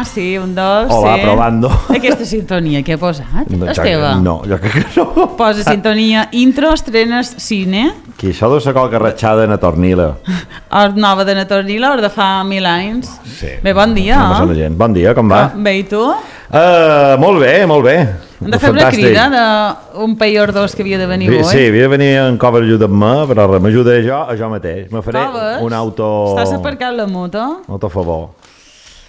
sí, un, dos, Hola, sí. probando. Aquesta sintonia que he posat, és teva? No, jo crec que no. Posa sintonia, intro, estrenes, cine. Que això deu ser qualque ratxada na Tornila. Or nova de Natornila, or de fa 1000 anys. Sí. Bé, bon dia. No passa la gent. Bon dia, com va? Bé, i tu? Molt bé, molt bé. Hem de fer una crida d'un país o dos que havia de venir avui. Sí, havia de venir en Cover ajuda'm-me, però res, m'ajuda jo mateix. Me faré un auto... Estàs aparcat la moto? Auto a favor.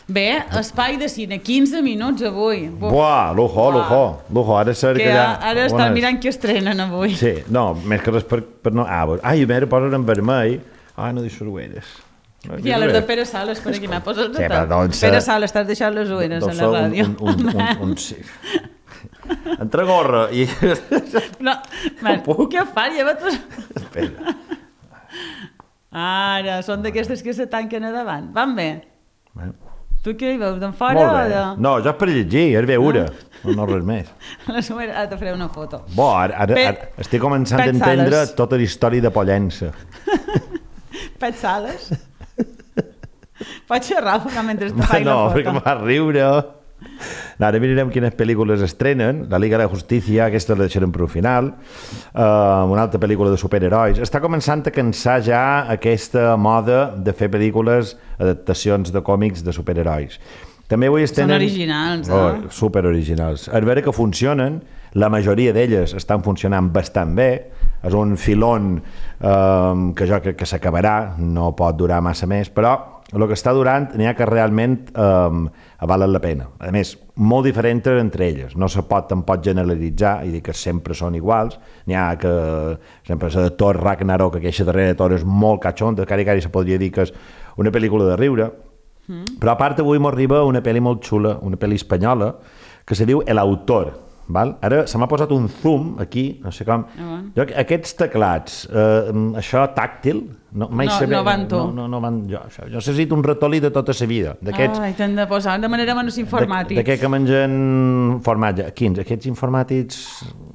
Bé, espai de cine, 15 minuts avui. Buah, lujo. Ara ser que ja... Ara estan mirant què estrenen avui. Sí, no, més que res per no... Ai, a veure, posen en vermell. No deixo ueres. I a les de Pere Sales, per aquí m'ha posat sí, doncs, Pere Sales, estàs deixant les ueres a la ràdio. Sí. Entre gorra i... No, què fa? Lleva-te'ls... Espera. Ara, són d'aquestes que se tanquen a davant. Van bé? Tu què hi veus, d'en fora? Molt bé. No, jo és per llegir, és veure. No res més. Ara te faré una foto. Ara estic començant a entendre tota la història de Pollença. Pet Sales? Pots xerrar mentre te faig la foto? No, perquè em va riure. Ara mirarem quines pel·lícules estrenen. La Liga de la Justícia, aquesta la deixarem per al final. Una altra pel·lícula de superherois. Està començant a cansar ja aquesta moda de fer pel·lícules, adaptacions de còmics de superherois. També avui són originals, superoriginals. A veure que funcionen, la majoria d'elles estan funcionant bastant bé. És un filón que jo crec que s'acabarà, no pot durar massa més, però el que està durant n'hi ha que realment valen la pena. A més, molt diferents entre elles. No se pot tampoc generalitzar i dir que sempre són iguals. N'hi ha que, sempre, la de Thor Ragnarok, aquesta darrera de Thor és molt catxonta, cari se podria dir que és una pel·lícula de riure. Però a part avui m'arriba una pel·li molt xula, una pel·li espanyola, que se diu El Autor. Val? Ara se m'ha posat un zoom aquí, no sé com... Aquests teclats, això tàctil... No van tu. No van jo. Jo necessito un ratolí de tota la vida. T'han de posar de manera menys informàtics. D'aquest que mengen formatge. Quins? Aquests informàtics...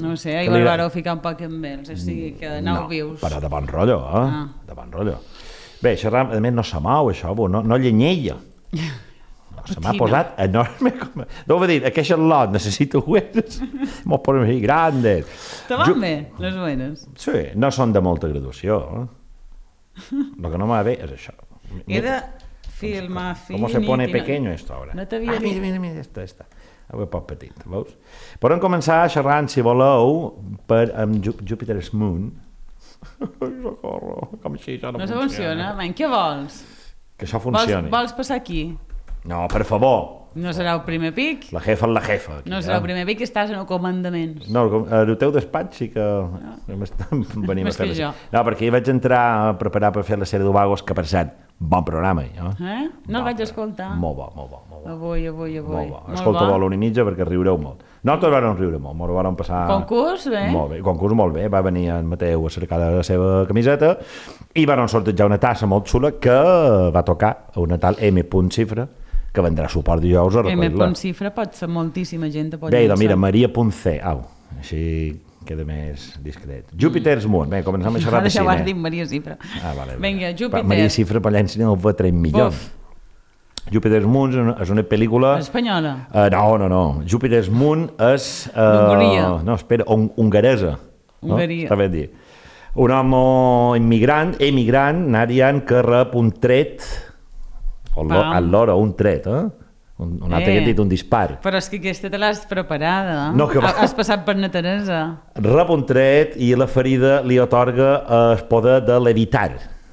No sé, ahir vareu ficar un poc amb ells, o sigui que aneu vius. Però de bon rotllo, de bon rotllo. Bé, això a més no se mou, això, no llenyella. Se m'ha posat enorme. Deu dir, aquest xarlot necessita ueres. M'ho posen així grandes. Te van bé, les ueres? Sí, no són de molta graduació. El que no m'ha bé és això. He de filmar Com se pone pequeño esto ahora? No t'havia dit. Mira, esta. Avui poc petit, veus? Podem començar xerrant, si voleu, amb Jupiter's Moon. Com així, això no funciona. Què vols? Que això funcioni. Vols passar aquí? No, per favor. No serà el primer pic? La jefa és la jefa. Aquí, no serà el primer pic, estàs en el comandaments. No, el teu despatx sí que venim a fer jo. No, perquè hi vaig entrar a preparar per fer la sèrie d'Ovagos, que per cert, bon programa. No el vaig escoltar. Molt bo. Avui. Molt bo. Escolta-ho a l'una i mitja perquè riureu molt. Nosaltres vam riure molt, ens vam passar... Concurs, bé? Molt bé, concurs molt bé. Va venir en Mateu a cercar la seva camiseta i van sortejar una tassa molt xula que va tocar a una tal M. Cifra, que vendrà suport dijous a recollir-la. M. Cifra pot ser moltíssima gent. Bé, doncs mira, Maria.c. Així queda més discret. Jupiter's Moon. Bé, comencem a xerrar de cine. Ara ja ho has dit, Maria Cifra. Vale. Vinga, Júpiter. Maria Cifra Pollença no va 3 milions. Jupiter's Moon és una pel·lícula... Espanyola? No. Jupiter's Moon és... Hongria. No, espera, hongaresa. Hongaria. Està ben dit. Un home emigrant, Narian, que rep un tret, allora, un tret, un altre que ha dit un dispar. Però és que aquesta te l'has preparada. No, que va. Has passat per na Teresa. Rep un tret i la ferida li atorga el poder de levitar,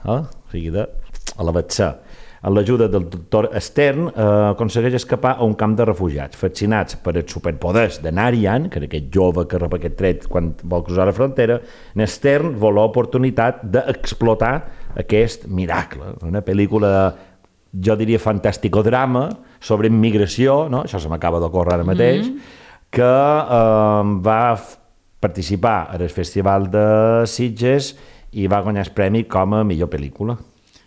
o sigui, de elevar-se. Amb l'ajuda del doctor Stern aconsegueix escapar a un camp de refugiats. Fascinats per els superpoders de Narian, que era aquest jove que rep aquest tret quan vol cruzar la frontera, Stern vol l'oportunitat d'explotar aquest miracle. Una pel·lícula, jo diria, fantàstico-drama sobre immigració, no? Això se m'acaba d'ocórrer ara mateix, que va participar al Festival de Sitges i va guanyar el premi com a millor pel·lícula.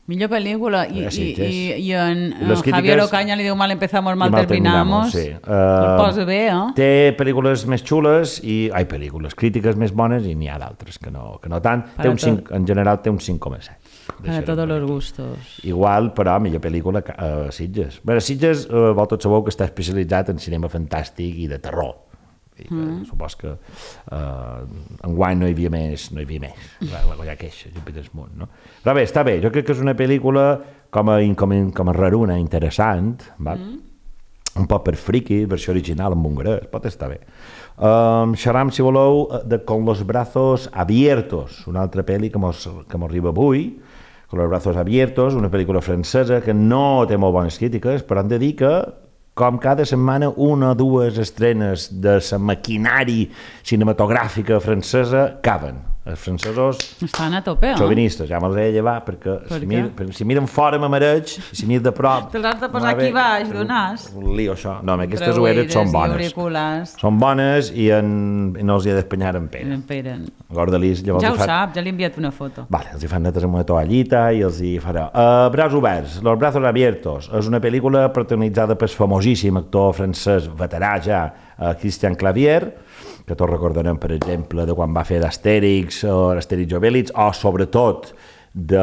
Millor pel·lícula. I en les Javier crítiques... Ocaña li diu mal empezamos, mal terminamos. Sí. El posa bé, Té pel·lícules més xules crítiques més bones i n'hi ha d'altres que no tant. En general té un 5,7. Para todos los gustos. Igual, però, millor pel·lícula a Sitges. Bé, Sitges, tots sabeu que està especialitzat en cinema fantàstic i de terror. Supos que enguany no hi havia més va guanyar queixa Júpiter Munt, no? Però bé, està bé, jo crec que és una pel·lícula com a raruna, interessant, un poc per friki, versió original en hongarès, pot estar bé. Xerram, si voleu, de Con los brazos abiertos, una altra pel·li que m'arriba avui, Con los brazos abiertos, una pel·lícula francesa que no té molt bones crítiques, però hem de dir que com cada setmana, una o dues estrenes de la maquinari cinematogràfica francesa caben. Els francesos... Estan a tope, xovinistes, ja me'ls he de llevar, perquè si miren fora me mareig, si miren de prop... Te'ls has de posar aquí baix d'un nas. Un lío, això. No, aquestes ueres són bones. Són bones i no els hi he d'espanyar en pera. Gordelis, llavors ja ho sap, ja li he enviat una foto. Vale, els hi fan netes amb una toallita i els hi farà. Braç oberts, Los brazos abiertos. És una pel·lícula protagonitzada pel famosíssim actor francès veterà ja, Christian Clavier, que tots recordarem, per exemple, de quan va fer d'Astèrix o l'Astèrix Obélix, o sobretot de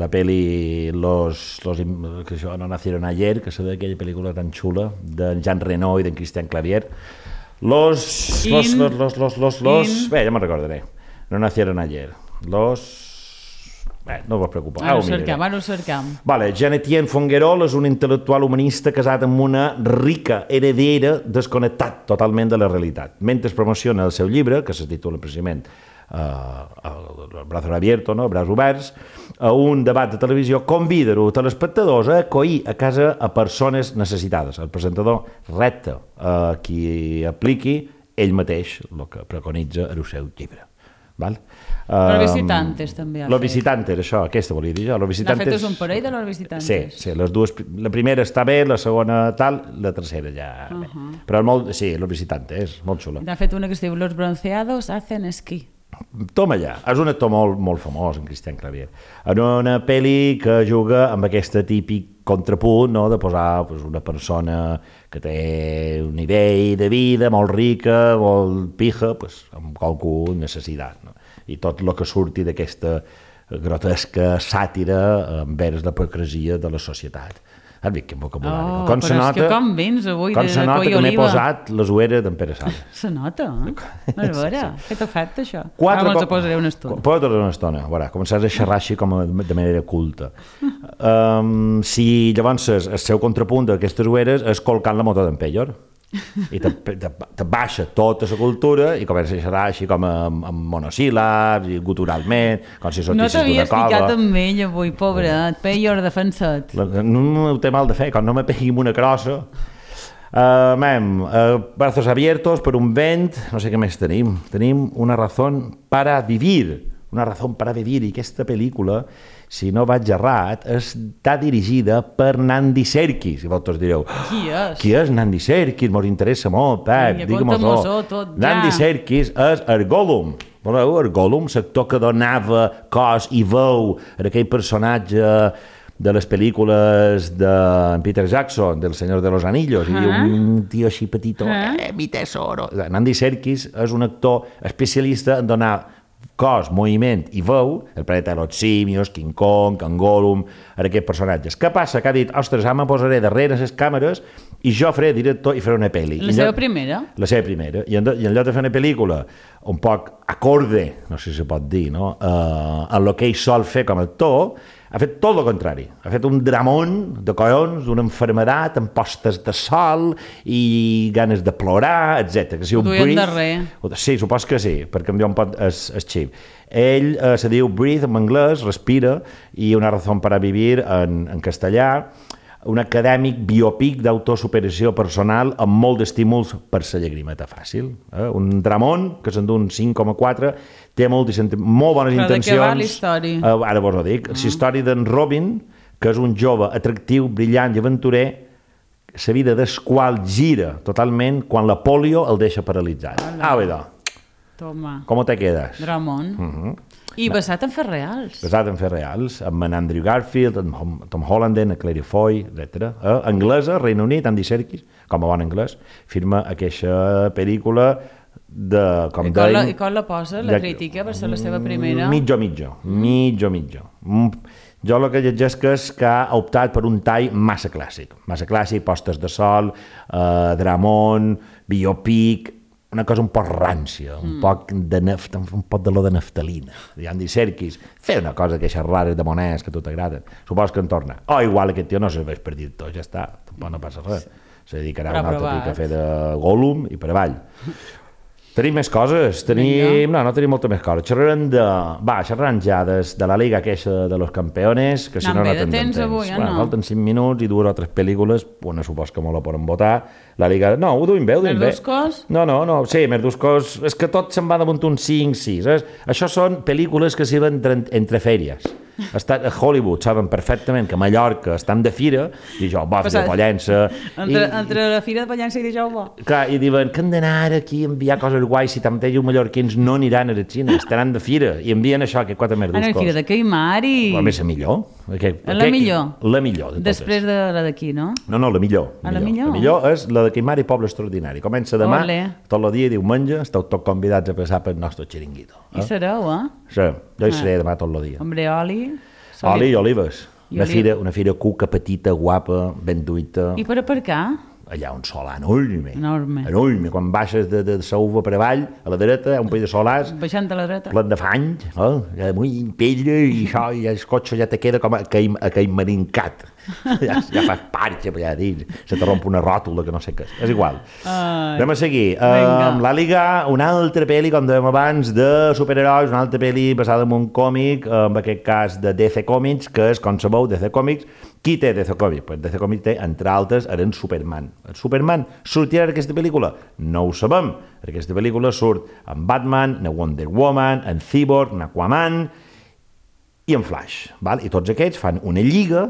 la pel·li que això no nacieron ayer, que és d'aquella pel·lícula tan xula de Jean Reno i d'en Christian Clavier. Bé, ja me'n recordaré. No nacieron ayer. No us preocupeu. Ara ho cercam. Vale, Jean-Étienne Fonguerol és un intel·lectual humanista casat amb una rica heredera desconnectat totalment de la realitat. Mentre promociona el seu llibre, que se titula precisament Brazos abiertos, no? Braç oberts, a un debat de televisió, convida els telespectadors a acollir a casa a persones necessitades. El presentador repta a qui apliqui ell mateix el que preconitza en el seu llibre. Val? Los Visitantes també ha fet. Los Visitantes, això, aquesta volia dir jo. N'ha fet un parell de Los Visitantes? Sí, les dues, la primera està bé, la segona tal, la tercera ja bé. Però sí, Los Visitantes, molt xula. N'ha fet una que es diu Los bronceados hacen esquí. Toma ja, és un actor molt famós, en Christian Clavier. En una pel·li que juga amb aquest típic contrapunt, no?, de posar una persona que té un nivell de vida molt rica, molt pija, amb qualcú necessitat, no? I tot el que surti d'aquesta grotesca sàtira envers la hipocresia de la societat. Has vist quin vocabulari? Però és que com vens avui de coi oliva? Com se nota que m'he posat les ueres d'en Pere Sala. Se nota, A veure, què t'ha fet, això? Ara me'ls posaré una estona. Posa't una estona, a veure, començaràs a xerrar així com de manera culta. Si llavors el seu contrapunt d'aquestes ueres és colcant la moto d'en Peyor. I te baixa tota la cultura i comença a xerrar així com amb monosíl·labs i guturalment, com si sortissis d'una cova. No t'havies ficat amb ell avui, pobret, Peyor, defensa't. No ho té mal de fer, quan no me pegui amb una crossa. Brazos abiertos per un vent, no sé què més tenim. Tenim una razón para vivir, i aquesta pel·lícula, si no vaig errat, està dirigida per Nandi Serkis. I vosaltres direu, qui és Nandi Serkis? Mos interessa molt, Pep, digue-mos-ho. Nandi Serkis és el Gollum. Voleu, el Gollum, l'actor que donava cos i veu a aquell personatge de les pel·lícules de Peter Jackson, del Senyor de los Anillos, i un tio així petitó, mi tesoro. Nandi Serkis és un actor especialista en donar cos, moviment i veu, el planeta de los simios, King Kong, Can Gollum, a aquests personatges. Què passa? Que ha dit, ostres, ara me posaré darrere les càmeres i jo faré director i faré una pel·li. La seva primera? La seva primera. I en lloc de fer una pel·lícula un poc acorde, no sé si se pot dir, no?, en el que ell sol fer com a actor, ha fet tot el contrari. Ha fet un dramón de collons, d'una enfermedat, amb postes de sol i ganes de plorar, etc. Ho duien darrer. Sí, supos que sí, per canviar un poc el xip. Ell se diu Breathe en anglès, respira, i Una razón para vivir en castellà, un acadèmic biopic d'autosuperació personal amb molt d'estímuls per la llagrimeta fàcil. Un dramón que s'endú un 5,4, té molt bones intencions. Però de què va la història? Ara vos ho dic. La història d'en Robin, que és un jove atractiu, brillant i aventurer, la vida del qual gira totalment quan la polio el deixa paralitzat. Toma. ¿Cómo te quedas? Dramón. I basat en fets reals. Basat en fets reals, amb en Andrew Garfield, amb Tom Holland, en Claire Foy, etc. Anglesa, Regne Unit, Andy Serkis, com a bon anglès, firma aquesta pel·lícula de, com I com la posa, la crítica, per ser la seva primera? Mitjo. Jo el que llegeix és que ha optat per un tall massa clàssic, postes de sol, dramón, biopic, una cosa un poc rància, un poc d'olor de naftalina. Andy Serkis, fer una cosa d'aquestes rares de monedes que a tu t'agraden. Supos que en torna. Igual aquest tio no serveix per dir tot, ja està, tampoc no passa res. Se dedicarà a un altre pic a fer de Gollum i per avall. Tenim més coses, no tenim molta més coses. Xerrarem ja de la Liga aquesta de los Campeones, que si no tindrem temps. Falten 5 minuts i 2 o 3 pel·lícules, una supos que molt la poden votar. La Liga, no, ho duim bé. Merduscos? No, sí, Merduscos, és que tot se'n va damunt un 5-6. Això són pel·lícules que s'hi van entre fèries. A Hollywood saben perfectament que a Mallorca estan de fira i jo, de Pollença. Entre la fira de Pollença i dijous bo. Clar, i diuen que han d'anar aquí a enviar coses guais, si tanmateix els mallorquins no aniran a la Xina, estaran de fira i envien això, que 4 merduscos. A la fira de Caimar i... A més, la millor. La millor? La millor de totes. Després de la d'aquí, no? No, la millor. La millor és la de Caimar i Poble Extraordinari. Comença demà, tot el dia i diumenge, esteu tots convidats a passar pel nostre xiringuito. Hi sereu, Sí, jo hi seré demà tot el dia. Hombre, oli... Oli i olives. Una fira cuca, petita, guapa, ben duita. I per aparcar? Allà un solar enorme. Quan baixes de Sauva per avall, a la dreta, hi ha un país de solars. Baixant a la dreta. Plen de fany, molt pedra, i això, i el cotxe ja te queda com a caimarincat. Ja fas parxa per allà dins. Se te romp una ròtula que no sé què és. És igual. Anem a seguir. Amb la Liga, una altra pel·li, com dèiem abans, de superherois, una altra pel·li basada en un còmic, en aquest cas de DC Comics, que és, com sabeu, DC Comics. Qui té DC Comics? Pues DC Comics té, entre altres, en Superman. El Superman sortirà en aquesta pel·lícula? No ho sabem. En aquesta pel·lícula surt en Batman, en Wonder Woman, en Cyborg, en Aquaman i en Flash. Val? I tots aquests fan una lliga,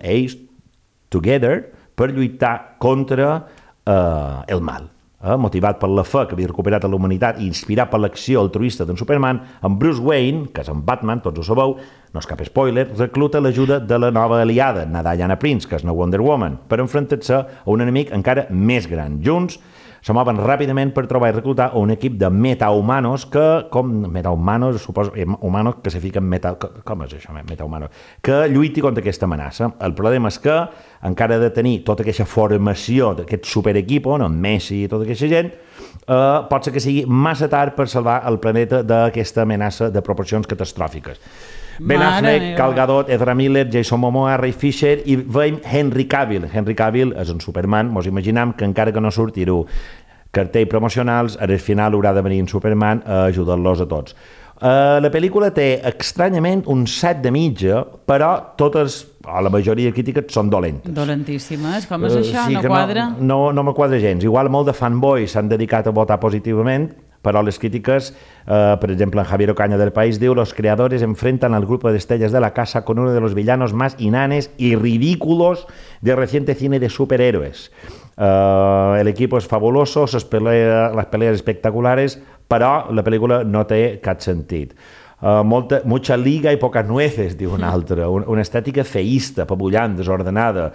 ells, together, per lluitar contra el mal. Motivat per la fe que havia recuperat a la humanitat i inspirat per l'acció altruista d'en Superman, en Bruce Wayne, que és en Batman, tots ho sabeu, no és cap spoiler, recluta l'ajuda de la nova aliada, na Diana Prince, que és una Wonder Woman, per enfrontar-se a un enemic encara més gran. Junts se mouen ràpidament per trobar i reclutar un equip de metahumanos humanos que se fiquen com és això, metahumanos? Que lluiti contra aquesta amenaça. El problema és que encara ha de tenir tota aquesta formació d'aquest superequipo, no? Messi i tota aquesta gent, pot ser que sigui massa tard per salvar el planeta d'aquesta amenaça de proporcions catastròfiques. Ben Affleck, Gal Gadot, Ezra Miller, Jason Momoa, Ray Fisher i veiem Henry Cavill. Henry Cavill és un Superman, mos imaginam que encara que no surtirà cartells promocionals, al final haurà de venir en Superman a ajudar-los a tots. La pel·lícula té estranyament un 7 de mitja, però totes, la majoria de crítiques són dolentes. Dolentíssimes? Com és això? No quadra? No me quadra gens. Igual molt de fanboys s'han dedicat a votar positivament, pero las críticas, por ejemplo, en Javier Ocaña del País, diu, los creadores enfrentan al grupo de estrellas de la casa con uno de los villanos más inanes y ridículos del reciente cine de superhéroes. El equipo es fabuloso, las peleas espectaculares, però la pel·lícula no té cap sentit. Mucha liga i poques nueces, diu un altre. Una estètica feísta, papullant, desordenada,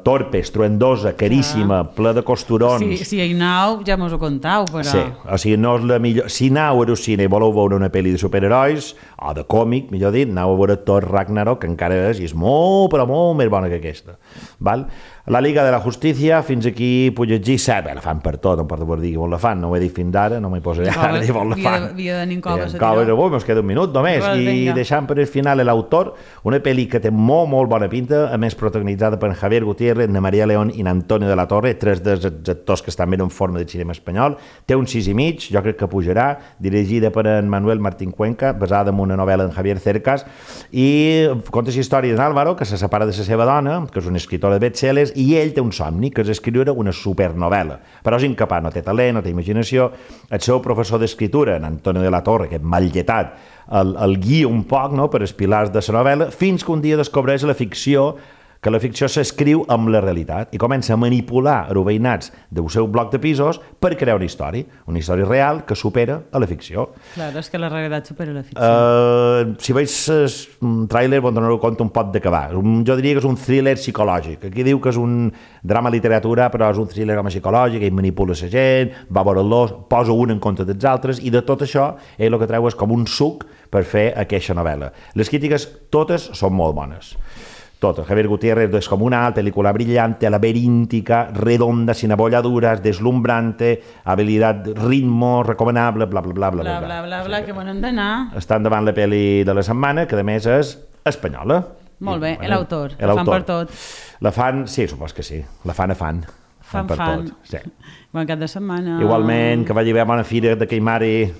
torpe, estruendosa, caríssima, ple de costurons. Si hi aneu, ja mos ho contau, però... Sí, o sigui, no és la millor... Si aneu al cine i voleu veure una pel·li de superherois, o de còmic, millor dit, aneu a veure Thor Ragnarok, que encara és molt, però molt més bona que aquesta. Val? La Liga de la Justícia, fins aquí puc llegir 7, la fan per tot, no importa per dir on la fan, no ho he dit fins ara, no m'hi posaré ara dir on la fan. Havia de Nincoves. Avui ens queda un minut només, i deixant per el final l'autor, una pel·li que té molt, molt bona pinta, a més protagonitzada per Javier Gutiérrez, na María León i Antonio de la Torre, 3 dels actors que estan ben en forma de cinema espanyol, té un 6,5, jo crec que pujarà, dirigida per en Manuel Martín Cuenca, basada en una novel·la d'en Javier Cercas, i conta la història d'en Álvaro, que se separa de la seva dona, que és una escritora de best-sellers, i ell té un somni, que és escriure una supernovel·la, però és incapaç, no té talent, no té imaginació. El seu professor d'escriptura, en Antonio de la Torre, que és mal lletat, el guia un poc, no?, per els pilars de la novel·la, fins que un dia descobreix la ficció que la ficció s'escriu amb la realitat i comença a manipular els veïnats del seu bloc de pisos per crear una història real que supera a la ficció. Claro, és que la realitat supera la ficció. Si veus el tràiler, vos donareu compte un pot d'acabar. Jo diria que és un thriller psicològic. Aquí diu que és un drama literatura, però és un thriller home psicològic, ell manipula la gent, va veure-los, posa un en compte dels altres, i de tot això ell el que treu és com un suc per fer aquesta novel·la. Les crítiques totes són molt bones. Totes. Javier Gutiérrez descomunal, película brillante, laberíntica, redonda, sin abolladuras, deslumbrante, habilidad, ritmo, recomendable, bla, bla, bla, bla, bla. Bla, bla, bla, que bon hem d'anar. Està endavant la pel·li de la setmana, que a més és espanyola. Molt bé, l'autor, la fan per tot. La fan, sí, supos que sí, la fan a fan. Fan. Per tot, sí. Bon cap de setmana. Igualment, que vagi bé a bona fira de Queimari.